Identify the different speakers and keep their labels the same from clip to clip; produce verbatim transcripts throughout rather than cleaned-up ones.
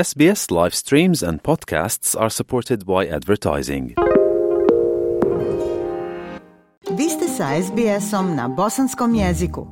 Speaker 1: S B S live streams and podcasts are supported by advertising.
Speaker 2: Vi ste sa S B S-om na bosanskom jeziku.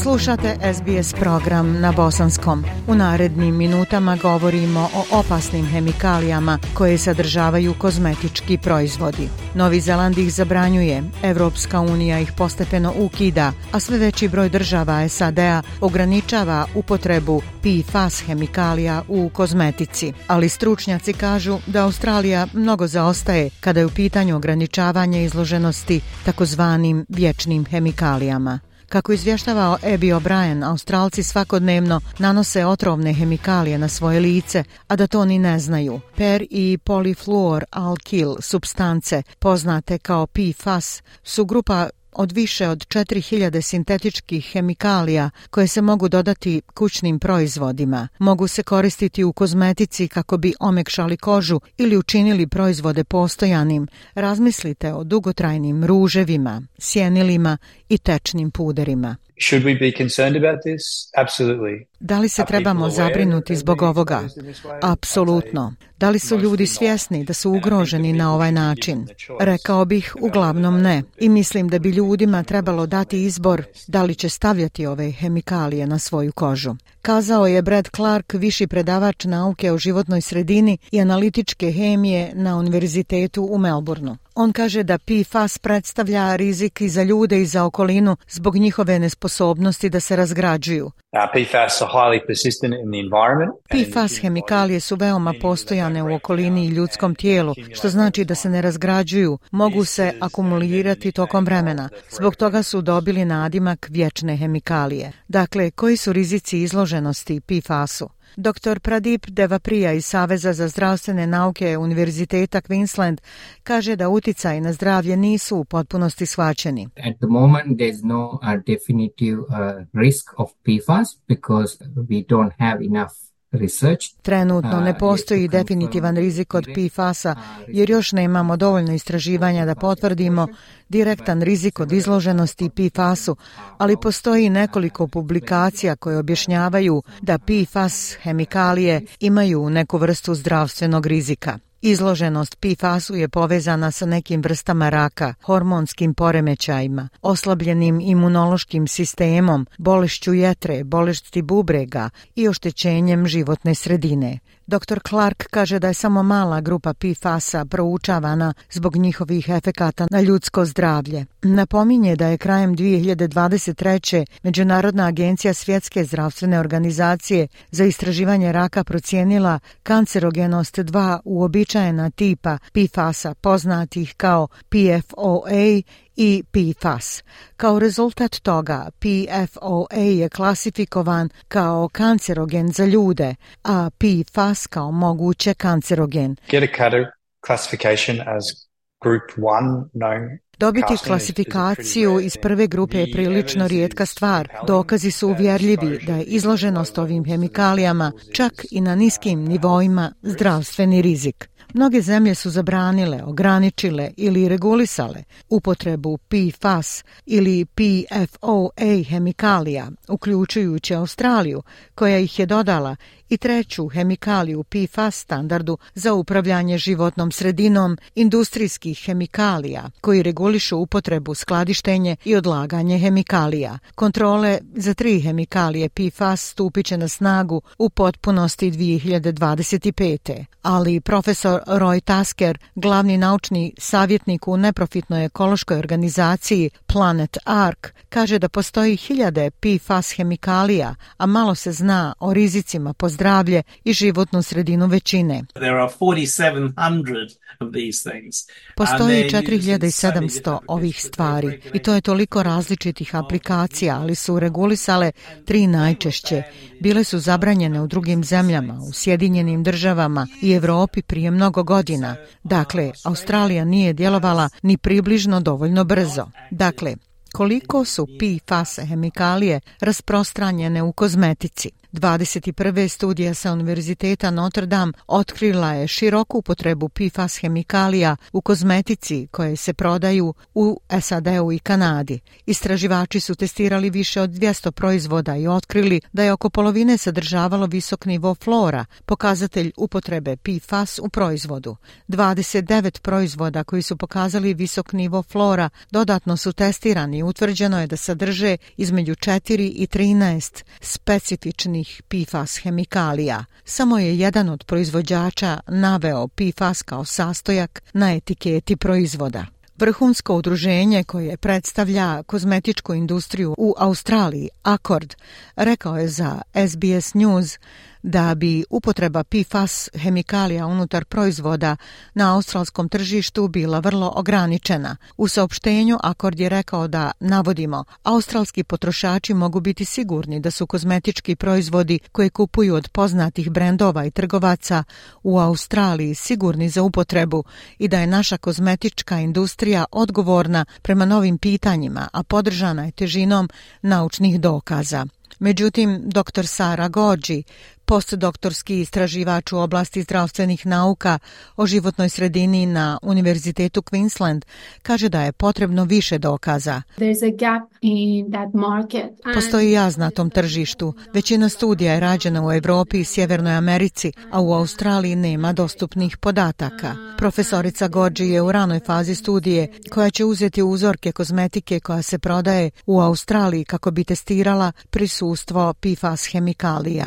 Speaker 2: Slušate S B S program na bosanskom. U narednim minutama govorimo o opasnim hemikalijama koje sadržavaju kozmetički proizvodi. Novi Zeland ih zabranjuje, Evropska unija ih postepeno ukida, a sve veći broj država S A D-a ograničava upotrebu P F A S hemikalija u kozmetici. Ali stručnjaci kažu da Australija mnogo zaostaje kada je u pitanju ograničavanje izloženosti takozvanim vječnim hemikalijama. Kako izvještavao Abby O'Brien, Australci svakodnevno nanose otrovne hemikalije na svoje lice, a da to ni ne znaju. Per i polifluoralkil supstance, poznate kao P F A S, su grupa od više od četiri hiljade sintetičkih hemikalija koje se mogu dodati kućnim proizvodima. Mogu se koristiti u kozmetici kako bi omekšali kožu ili učinili proizvode postojanim. Razmislite o dugotrajnim ruževima, sjenilima i tečnim puderima.
Speaker 3: Should we be concerned about this? Absolutely.
Speaker 2: Da li se trebamo zabrinuti zbog ovoga? Apsolutno. Da li su ljudi svjesni da su ugroženi na ovaj način? Rekao bih uglavnom ne. I mislim da bi ljudima trebalo dati izbor da li će stavljati ove hemikalije na svoju kožu. Kazao je Brad Clark, viši predavač nauke o životnoj sredini i analitičke hemije na univerzitetu u Melbourneu. On kaže da P F A S predstavlja rizik i za ljude i za okolinu zbog njihove nesposobnosti da se razgrađuju.
Speaker 3: P F A S are highly persistent in the environment.
Speaker 2: P F A S hemikalije su veoma postojane u okolini i ljudskom tijelu, što znači da se ne razgrađuju, mogu se akumulirati tokom vremena. Zbog toga su dobili nadimak vječne hemikalije. Dakle, koji su rizici izloženosti P F A S-u? doktor Pradip Devapriya iz Saveza za zdravstvene nauke Univerziteta Queensland kaže da uticaji na zdravlje nisu u potpunosti shvaćeni.
Speaker 4: At the moment there's no uh, definitive uh, risk of P F A S because we don't have enough research.
Speaker 2: Trenutno ne postoji definitivan rizik od P F A S-a jer još nemamo dovoljno istraživanja da potvrdimo direktan rizik od izloženosti P F A S-u, ali postoji nekoliko publikacija koje objašnjavaju da P F A S hemikalije imaju neku vrstu zdravstvenog rizika. Izloženost P F A S-u je povezana sa nekim vrstama raka, hormonskim poremećajima, oslabljenim imunološkim sistemom, bolešću jetre, bolesti bubrega i oštećenjem životne sredine. doktor Clark kaže da je samo mala grupa P F A S-a proučavana zbog njihovih efekata na ljudsko zdravlje. Napominje da je krajem dvije hiljade dvadeset treće. Međunarodna agencija Svjetske zdravstvene organizacije za istraživanje raka procijenila kancerogenost dva uobičajena tipa P F A S-a poznatih kao P F O A i P F A S. Kao rezultat toga, P F O A je klasifikovan kao kancerogen za ljude, a P F A S kao moguće kancerogen.
Speaker 3: Get a classification as group one known.
Speaker 2: Dobiti klasifikaciju iz prve grupe je prilično rijetka stvar. Dokazi su uvjerljivi da je izloženost ovim hemikalijama čak i na niskim nivoima zdravstveni rizik. Mnoge zemlje su zabranile, ograničile ili regulisale upotrebu P F A S ili P F O A hemikalija, uključujući Australiju, koja ih je dodala, i treću hemikaliju P F A S standardu za upravljanje životnom sredinom industrijskih hemikalija, koji regulišu upotrebu, skladištenje i odlaganje hemikalija. Kontrole za tri hemikalije P F A S stupit će na snagu u potpunosti dvije hiljade dvadeset pete. Ali profesor Roy Tasker, glavni naučni savjetnik u neprofitnoj ekološkoj organizaciji Planet Ark, kaže da postoji hiljade P F A S hemikalija, a malo se zna o rizicima po zdravlje i životnu sredinu većine. Postoji četiri hiljade sedamsto ovih stvari i to je toliko različitih aplikacija, ali su regulisale tri najčešće. Bile su zabranjene u drugim zemljama, u Sjedinjenim državama i Europi prije mnogo godina. Dakle, Australija nije djelovala ni približno dovoljno brzo. Dakle, koliko su P F A S hemikalije rasprostranjene u kozmetici? dvadeset prve studija sa Univerziteta Notre Dame otkrila je široku upotrebu P F A S hemikalija u kozmetici koje se prodaju u S A D-u i Kanadi. Istraživači su testirali više od dvjesto proizvoda i otkrili da je oko polovine sadržavalo visok nivo flora, pokazatelj upotrebe P F A S u proizvodu. dvadeset devet proizvoda koji su pokazali visok nivo flora dodatno su testirani i utvrđeno je da sadrže između četiri i trinaest specifičnih P F A S hemikalija. Samo je jedan od proizvođača naveo P F A S kao sastojak na etiketi proizvoda. Vrhunsko udruženje koje predstavlja kozmetičku industriju u Australiji, Accord, rekao je za S B S News da bi upotreba P F A S hemikalija unutar proizvoda na australskom tržištu bila vrlo ograničena. U saopštenju Accord je rekao da, navodimo, australski potrošači mogu biti sigurni da su kozmetički proizvodi koje kupuju od poznatih brendova i trgovaca u Australiji sigurni za upotrebu i da je naša kozmetička industrija odgovorna prema novim pitanjima, a podržana je težinom naučnih dokaza. Međutim, doktor Sara Gođi, postdoktorski istraživač u oblasti zdravstvenih nauka o životnoj sredini na Univerzitetu Queensland, kaže da je potrebno više dokaza. Postoji jaz na tom tržištu. Većina studija je rađena u Evropi i Sjevernoj Americi, a u Australiji nema dostupnih podataka. Profesorica Gođi je u ranoj fazi studije koja će uzeti uzorke kozmetike koja se prodaje u Australiji kako bi testirala prisustvo P F A S hemikalija.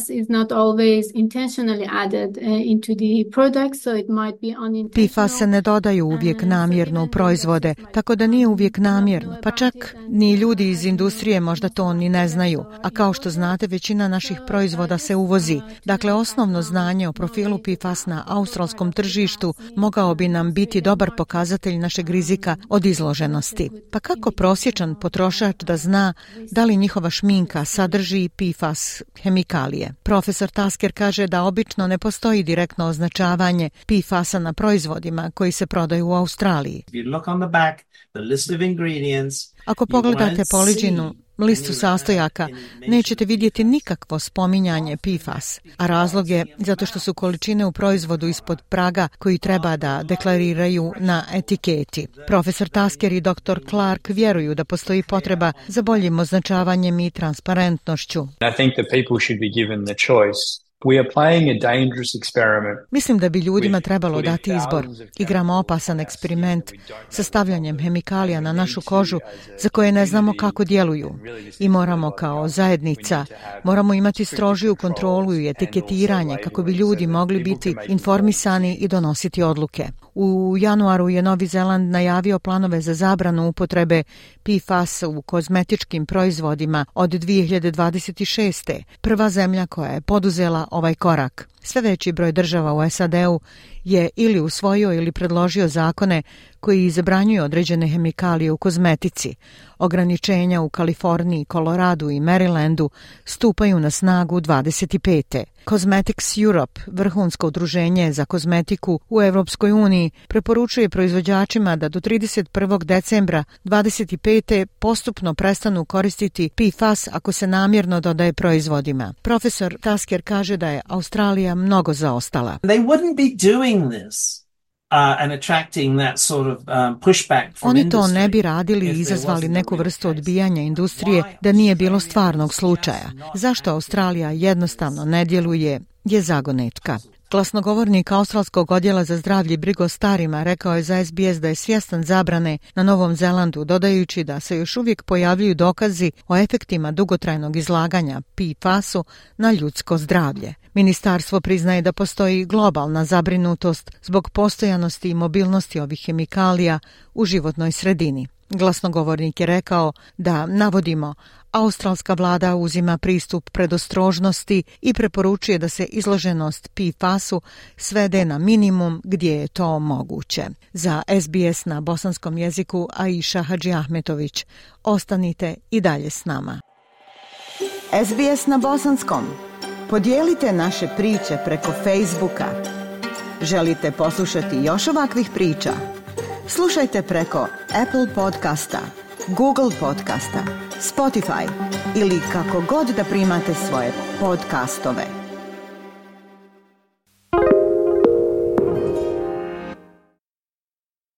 Speaker 5: Is not always intentionally added uh, into the product, so it might be unintentional.
Speaker 2: P F A S se ne dodaju uvijek namjerno u proizvode, tako da nije uvijek namjerno, pa čak ni ljudi iz industrije možda to ni ne znaju, a kao što znate većina naših proizvoda se uvozi. Dakle, osnovno znanje o profilu P F A S na australskom tržištu mogao bi nam biti dobar pokazatelj našeg rizika od izloženosti. Pa kako prosječan potrošač da zna da li njihova šminka sadrži P F A S hemikalije? Profesor Tasker kaže da obično ne postoji direktno označavanje P F A S-a na proizvodima koji se prodaju u Australiji. Ako pogledate poliđinu listu sastojaka, nećete vidjeti nikakvo spominjanje P F A S, a razlog je zato što su količine u proizvodu ispod praga koji treba da deklariraju na etiketi. Profesor Tasker i doktor Clark vjeruju da postoji potreba za boljim označavanjem i transparentnošću.
Speaker 3: I think that people should be given the choice. We are playing a dangerous experiment.
Speaker 2: Mislim da bi ljudima trebalo dati izbor. Igramo opasan eksperiment sa stavljanjem hemikalija na našu kožu za koje ne znamo kako djeluju. I moramo kao zajednica, moramo imati strožiju kontrolu i etiketiranje kako bi ljudi mogli biti informisani i donositi odluke. U januaru je Novi Zeland najavio planove za zabranu upotrebe P F A S u kozmetičkim proizvodima od dvije hiljade dvadeset šeste. Prva zemlja koja je poduzela ovaj korak. Sve veći broj država u S A D-u je ili usvojio ili predložio zakone koji zabranjuju određene hemikalije u kozmetici. Ograničenja u Kaliforniji, Koloradu i Marylandu stupaju na snagu dvadeset pete. Cosmetics Europe, vrhunsko udruženje za kozmetiku u Evropskoj uniji, preporučuje proizvođačima da do trideset prvog decembra dvadeset pete postupno prestanu koristiti P F A S ako se namjerno dodaje proizvodima. Profesor Tasker kaže da je Australija mnogo zaostala.
Speaker 6: They wouldn't be doing this. Uh, and attracting that sort of um, pushback from
Speaker 2: Oni to
Speaker 6: industry
Speaker 2: ne bi radili i izazvali neku vrstu odbijanja industrije da nije bilo stvarnog slučaja. Zašto Australija jednostavno ne djeluje je zagonetka. Glasnogovornik australskog odjela za zdravlje i brigu o starima rekao je za S B S da je svjestan zabrane na Novom Zelandu, dodajući da se još uvijek pojavljuju dokazi o efektima dugotrajnog izlaganja P F A S-u na ljudsko zdravlje. Ministarstvo priznaje da postoji globalna zabrinutost zbog postojanosti i mobilnosti ovih hemikalija u životnoj sredini. Glasnogovornik je rekao da, navodimo, australska vlada uzima pristup predostrožnosti i preporučuje da se izloženost P F A S-u svede na minimum gdje je to moguće. Za S B S na bosanskom jeziku Aisha Hadžiahmetović. Ostanite i dalje s nama.
Speaker 7: S B S na bosanskom. Podijelite naše priče preko Facebooka. Želite poslušati još ovakvih priča? Slušajte preko Apple podcasta, Google podcasta, Spotify ili kako god da primate svoje podcastove.